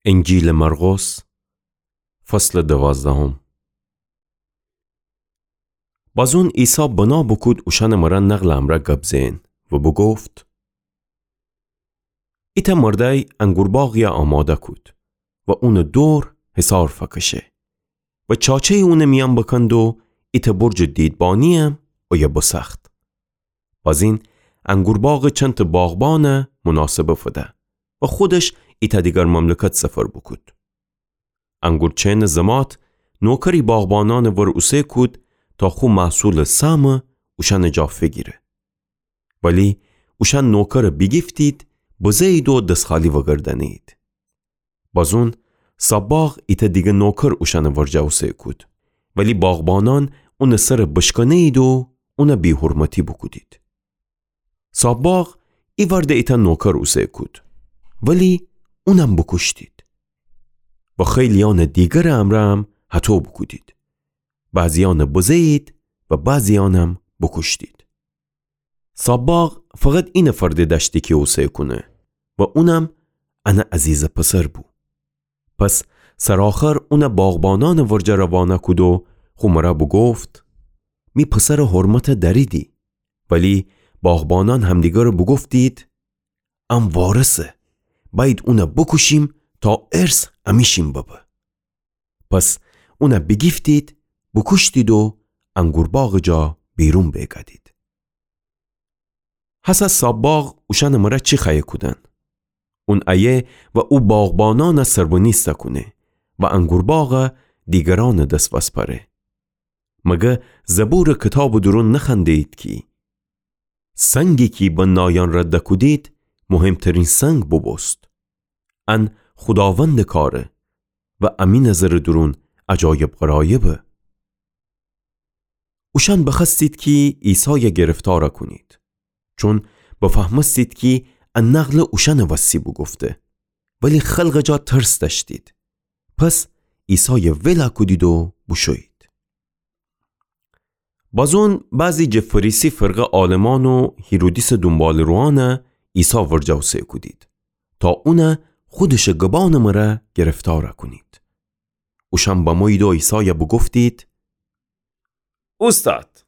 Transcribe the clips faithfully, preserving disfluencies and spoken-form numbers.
انجیلٚ مرقس، فصلٚ دوازدهم. بازون عیسی بنا بوکود اوشأنٚ مرأ نقلٚ امرأ گب زئن و بوگفت: ایتأ مردأی انگورباغیی آماده کود و اونٚ دور حصار فکشه و چاچه‌یی اونٚ میأن بکند و ایتأ برجٚ دیدبانییم اویه بسأخت. بازین انگورباغٚ چندتأ باغبانٚ مناسبه فده و خودش ایتأ دیگر مملکت سفر بوکود. انگورچینٚ زمات نوکری باغبانأنٚ ور اوسه کود تا خو محصولٚ سهمٚ اوشأنٚ جا فیگیره. ولی اوشأن نوکرٚ بیگیفتید، بزه‌یید و دس‌خالی وگردأنه‌یید. بازون صب‌باغ ایتأ دیگه نوکر اوشأنٚ ورجه اوسه کود، ولی باغبانأن اونٚ سرٚ بشکنه‌یید و اونٚ بی‌حرمتی بوکودید. صب‌باغ ایوأرده ایتأ نوکر اوسه کود، ولی اونم بوکوشتید. و خیلی‌یأنٚ دیگرٚ امرأ هم هطو بوکودید. بعضی‌یأنٚ بزه‌یید و بعضی‌یأنم بوکوشتید. صب‌باغ فقط اینٚ فرده دأشتی کی اوسه کونه و اونم انٚ عزیزٚ پسر بو. پس سرآخر اونٚ باغبانأنٚ ورجه روانه کود و خو مرأ بوگفت: می پسرٚ حرمت دأریدی. ولی باغبانأن همدیگرٚ بوگفتید: ام وارثه، بأیید اون بوکوشیم تا ارث امیشیم ببه. پس اون بیگیفتید، بوکوشتید و انگورباغٚ جا بیرون بیگأدید. هسه صب‌باغ اوشأنٚ مرأ چی خوأیه کودن؟ اون ایه و او باغبانأن سربنیسته کونه و انگورباغ دیگرأنٚ دس وسپأره. مگه زبورٚ کیتابٚ دورون نخوأنده‌یید کی: سنگی کی بنایأن رد کودید، مهمترین سنگ بوبوست. ان خوداوندٚ کاره و امی نظرٚ دورون عجایب غرایبه. اوشأن بخوأستید کی عیسای گرفتار کونید، چون بفهمستید کی ا نقل اوشأنٚ وسی بوگفته، ولی خلقٚ جا ترس دأشتید. پس عیسای ول کودید و بوشویید. بازون بعضی جٚه فریسی فرقه عالمأن و هیرودیسٚ دونباله‌روأن عیسی ورجه اوسه کودید، تا اون خودشٚ گبأنٚ مرأ گرفتار کونید. اوشأن بمویید و عیسای بوگفتید: اوستاد،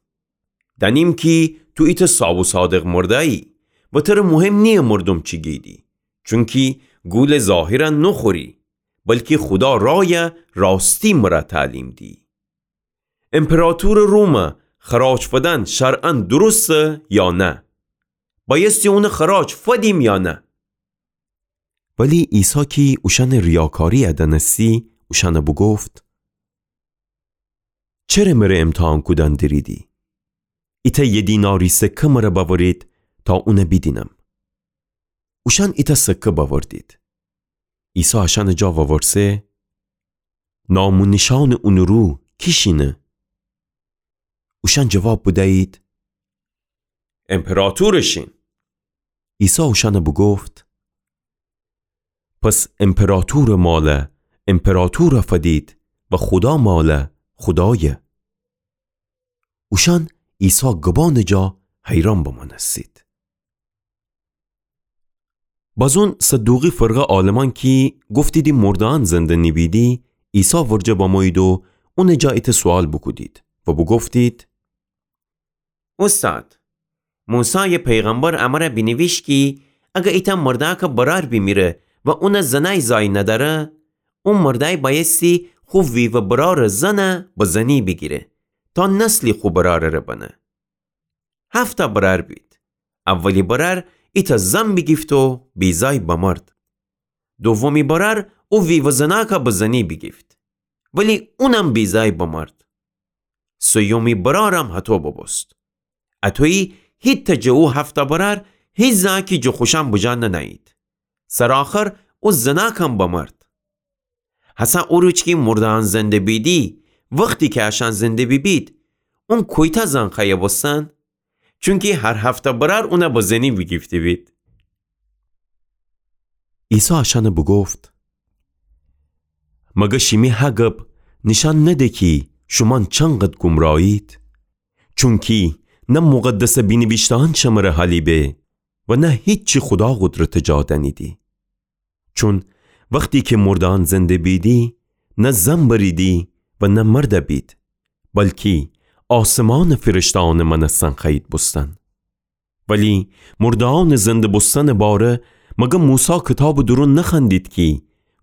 دأنیم کی تو ایتأ صاب و صادق مردأیی و ترأ مهم نییه مردوم چی گیدی، چونکی گولٚ ظاهر نوخوری، بلکی خودا رای راستی مرأ تعلیم دی. امپراطورٚ روم خراج فدن شرعاً درسته یا نه؟ بأیستی اون خراج فدیم یا نه؟ ولی عیسی کی اوشأنٚ ریاکاری دأنستی، اوشأن بوگفت: چره مره امتحان کودن دریدی؟ ایتأ یه دیناری سکه مره بأورید تا اون بیدینم. اوشأن ایتأ سکه بأوردید. عیسی اشأنٚ جا وورسه: نام و نیشانٚ اونٚ رو کی شینه؟ اوشأن جواب بدیید: امپراطورٚ شین. عیسی اوشأن بوگفت: پس امپراطورٚ مال امپراطور فدید و خودا مال خودای. اوشأن عیسی گبأنٚ جا حیران بمأنستید. بازون صدوقی فرقه عالمأن کی گفتیدی مرده‌یأن زنده نیبیدی، عیسی ورجه بمویید و اونٚ جا ایتأ سوال بوکودید و بوگفتید: اوستاد، موسای پیغمبر امر بینیویش کی اگر ایتأ مردأکٚ برأر بیمیره و اونٚ زنأی زأی ندأره، او مردأی بأیستی خو ویوه برأرٚ زن به زنی بیگیره تا نسلی خو برأرٚ ره بنه. هفتا برأر بید. اولی برأر ایتأ زن بیگیفت و بیزأی بمرد. دومی برأر او ویوه زنأک به زنی بیگیفت، ولی اونم بیزأی بمرد. سیومی برأرم هطو ببوست. اطویی هیتأ جٚه او هفتا برأر هیزأکی جٚه خوشأن بجا ننأیید. سرآخر او زنأکم بمرد. هسأ او روز کی مرده‌یأن زنده بیدی، وختی کی اشأن زنده بیبید، اون کویتأ زن خوأیه بوستن؟ چونکی هر هفتا برأر اون به زنی بیگیفته‌بید. عیسی اشأن بوگفت: مگر شیمی هه گب نیشأن نده کی شومأن چنقدر گمرایید؟ چونکی نه مقدس بینیویشته‌یأن شمر حالی به و نه هیچی خودا قدرتٚ جا دأنیدی. چون وختی کی مردأن زنده بیدی، نه زن بریدی و نه مرد بید، بلکی آسمانٚ فرشته‌أنٚ مأنستن خوأیید بوستن. ولی مرده‌أنٚ زنده بوستنٚ باره، مگر موسی کیتابٚ دورون نخوأندید کی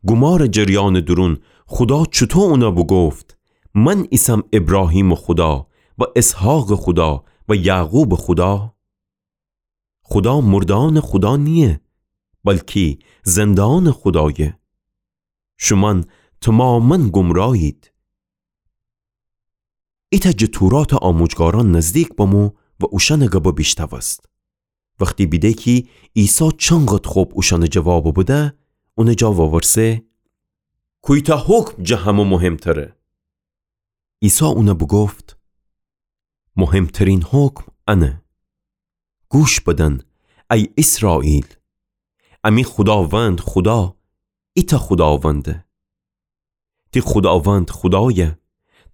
گومارٚ جریانٚ دورون خودا چوطو اونَ بوگفت: من ایسم ابراهیمٚ خودا و اسحاقٚ خودا و یعقوبٚ خودا؟ خودا مرده‌أنٚ خودا نییه، بلکی زنده‌أنٚ خودایه. شومأن توماماً گمراهید. ایتأ جٚه توراتٚ آموجگارأن نزدیک بمو و اوشأنٚ گبَ بیشتأوست. وختی بیده کی عیسی چنقدر خب اوشأنٚ جوابَ بده، اونٚ جا وورسه: کویتأ حکم جٚه همه مهمتره؟ عیسی اونَ بوگفت: مهمترین حکم انه: گوش بدن، ای ایسرائیل، امی خوداوند خودا، ایتأ خوداونده. تی خوداوند خودایَ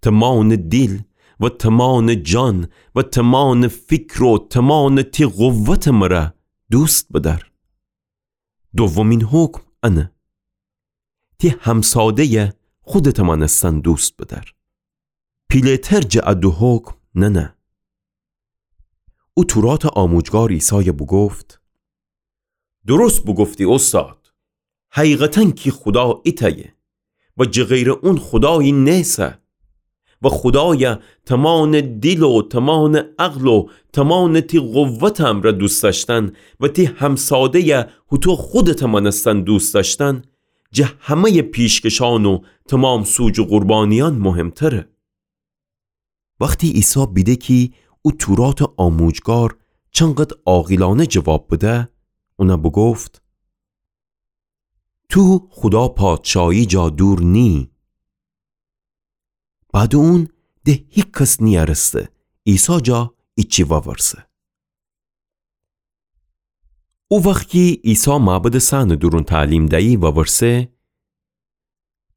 تومانٚ دیل و تومانٚ جان و تومانٚ فیکر و تومانٚ تی قوتٚ مره دوست بدأر. دومین حکم انه: تی همساده‌یَ خودتٚ مأنستن دوست بدأر. پیله‌تر جٚه ا دو حکم ننه. او توراتٚ آموجگار عیسایَ بوگفت: درست بوگفتی اوستاد. حقیقتاً کی خودا ایتأیه و جٚه غیرٚ اون خودایی نیسه. و خودایَ تومانٚ دیل و تومانٚ عقل و تومانٚ تی قوتٚ امرأ دوست دأشتن و تی همساده‌یَ هوطو خودتٚ مأنستن دوست دأشتن، جٚه همه‌یٚ پیشکشأن و تومام سوجو قربانیأن مهمتره. وختی عیسی بیده کی او توراتٚ آموجگار چنقدر عاقلأنه جواب بده، اونَ بوگفت: تو خودا پادشاهی جا دور نییی. بعدٚ اون ده هیکس نیأرسته عیسی جا ایچی وورسه. او وخت کی عیسی معبدٚ صحنٚ دورون تعلیم دیی وورسه: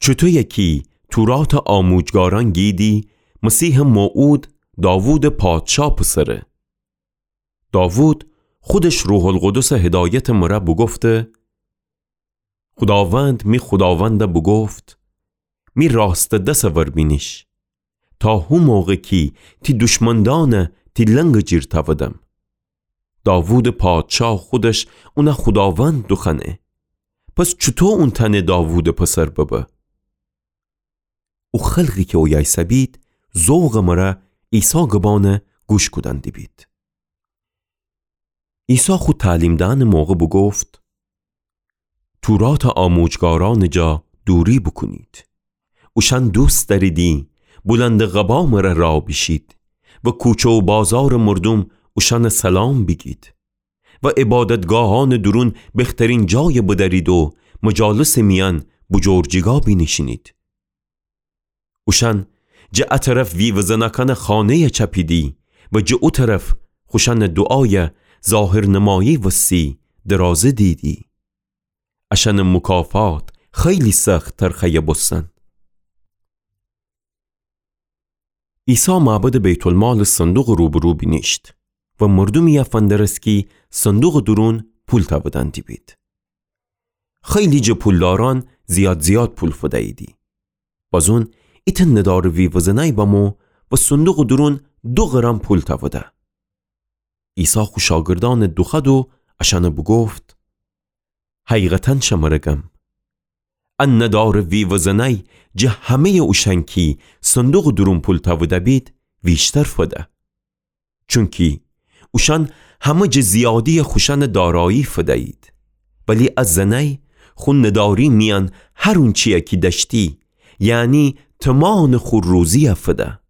چوطویه کی توراتٚ آموجگارأن گیدی مسیحٚ موعود داوودٚ پادشا پسره؟ داوود خودش روح‌القدسٚ هدایتٚ مره بوگفته: خوداوند می خوداوندَ بوگفت: می راستٚ دسٚ ور بینیش، تا هو موقع کی تی دشمندأنَ تی لنگٚ جیر تأودم. داوودٚ پادشا خودش اونَ خوداوند دوخوأنه. پس چوطو اون تأنه داوودٚ پسر ببه؟ او خلقی کی اویه ایسه‌بید، ذوقٚ مره عیسی گبأنَ گوش کودن دیبید. عیسی خو تعلیم دئنٚ موقع بوگفت: توراتٚ آموجگارأنٚ جا دوری بوکونید. اوشأن دوست دأریدی بلندٚ قبا مره راه بیشید و کوچه و بازارٚ مردوم اوشأنَ سلام بیگید و عبادتگاهأنٚ دورون بخترین جایَ بدأرید و مجالسٚ میأن بجرجیگا بینیشینید. اوشأن جٚه ا طرف ویوه‌زنأکأنٚ خانه‌یَ چأپیدی و جٚه او طرف خوشأنٚ دوعایَ ظاهرنمایی وستی درازه دیدی. اشأنٚ مکافات خیلی سخت ترخه‌یَ بوستن. عیسی معبدٚ بیت‌المالٚ صندوقٚ روبرو بینیشت و مردومی‌یَ فندرست کی صندوقٚ دورون پول تأودن دیبید. خیلی جٚه پولدارأن زیاد زیاد پول فدییدی. بازون ایتأ ندارٚ ویوه‌زنأی بمو و صندوقٚ دورون دو قرن پول تأوده. عیسی خو شاگردأنَ دوخوأد و اشأنَ بوگفت: حقیقتاً شمره گم، ا ندارٚ ویوه‌زنأی جٚه همه‌یٚ اوشأن کی صندوقٚ دورون پول تأوده‌بید ویشتر فده. چونکی اوشأن همه جٚه زیادییٚ خوشأنٚ دارایی فدیید، ولی ا زنأی خو نداری میأن هر اونچیی کی دأشتی، یعنی تومانٚ خو روزیی فده.